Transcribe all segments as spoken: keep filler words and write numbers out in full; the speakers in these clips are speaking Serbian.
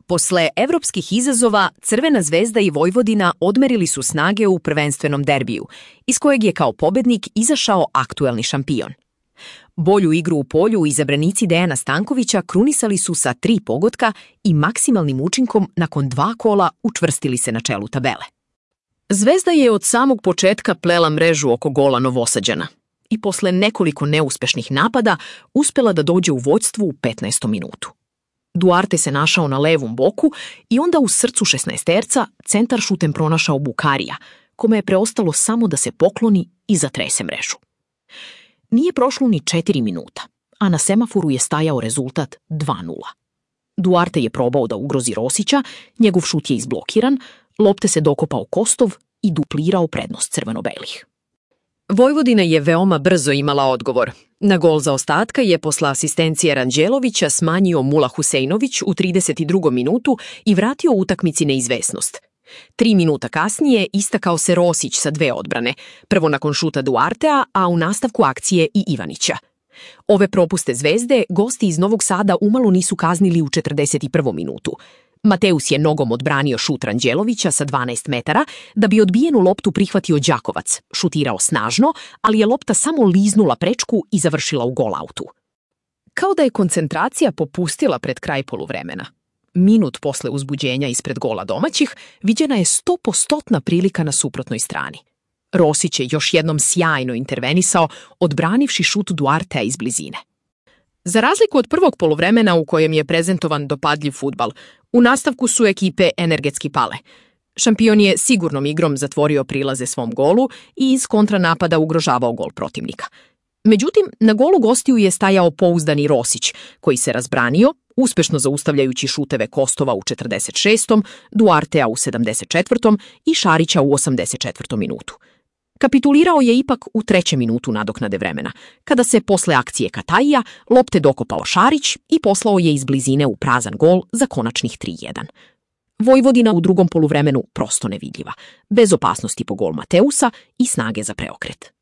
Posle evropskih izazova, Crvena zvezda i Vojvodina odmerili su snage u prvenstvenom derbiju, iz kojeg je kao pobednik izašao aktuelni šampion. Bolju igru u polju izabranici Dejana Stankovića krunisali su sa tri pogotka i maksimalnim učinkom nakon dva kola učvrstili se na čelu tabele. Zvezda je od samog početka plela mrežu oko gola Novosađana i posle nekoliko neuspešnih napada uspela da dođe u vođstvo u petnaestom minutu. Duarte se našao na levom boku i onda u srcu šesnaesterca centar šutem pronašao Bukarija, kome je preostalo samo da se pokloni i zatrese mrežu. Nije prošlo ni četiri minuta, a na semaforu je stajao rezultat dva nula. Duarte je probao da ugrozi Rosića, njegov šut je izblokiran, lopte se dokopao Kostov i duplirao prednost crveno-belih. Vojvodina je veoma brzo imala odgovor. Na gol zaostatka je posle asistencije Ranđelovića smanjio Mula Huseinović u trideset drugom minutu i vratio utakmici neizvesnost. Tri minuta kasnije istakao se Rosić sa dve odbrane, prvo nakon šuta Duartea, a u nastavku akcije i Ivanića. Ove propuste Zvezde gosti iz Novog Sada umalo nisu kaznili u četrdeset prvom minutu. Mateus je nogom odbranio šut Ranđelovića sa dvanaest metara da bi odbijenu loptu prihvatio Đakovac, šutirao snažno, ali je lopta samo liznula prečku i završila u gol-autu. Kao da je koncentracija popustila pred kraj poluvremena. Minut posle uzbuđenja ispred gola domaćih viđena je stopostotna prilika na suprotnoj strani. Rosić je još jednom sjajno intervenisao, odbranivši šut Duartea iz blizine. Za razliku od prvog poluvremena u kojem je prezentovan dopadljiv fudbal, u nastavku su ekipe energetski pale. Šampion je sigurnom igrom zatvorio prilaze svom golu i iz kontranapada ugrožavao gol protivnika. Međutim, na golu gostiju je stajao pouzdani Rosić, koji se razbranio, uspešno zaustavljajući šuteve Kostova u četrdeset šestom, Duartea u sedamdeset četvrtom i Šarića u osamdeset četvrtom minutu. Kapitulirao je ipak u trećem minutu nadoknade vremena, kada se posle akcije Kataija lopte dokopao Šarić i poslao je iz blizine u prazan gol za konačnih tri jedan. Vojvodina u drugom poluvremenu prosto nevidljiva, bez opasnosti po gol Mateusa i snage za preokret.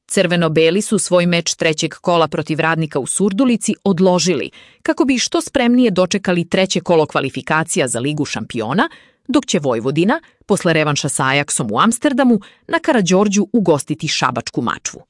Crveno-beli su svoj meč trećeg kola protiv Radnika u Surdulici odložili, kako bi što spremnije dočekali treće kolo kvalifikacija za Ligu šampiona, dok će Vojvodina, posle revanša sa Ajaksom u Amsterdamu, na Karađorđu ugostiti šabačku Mačvu.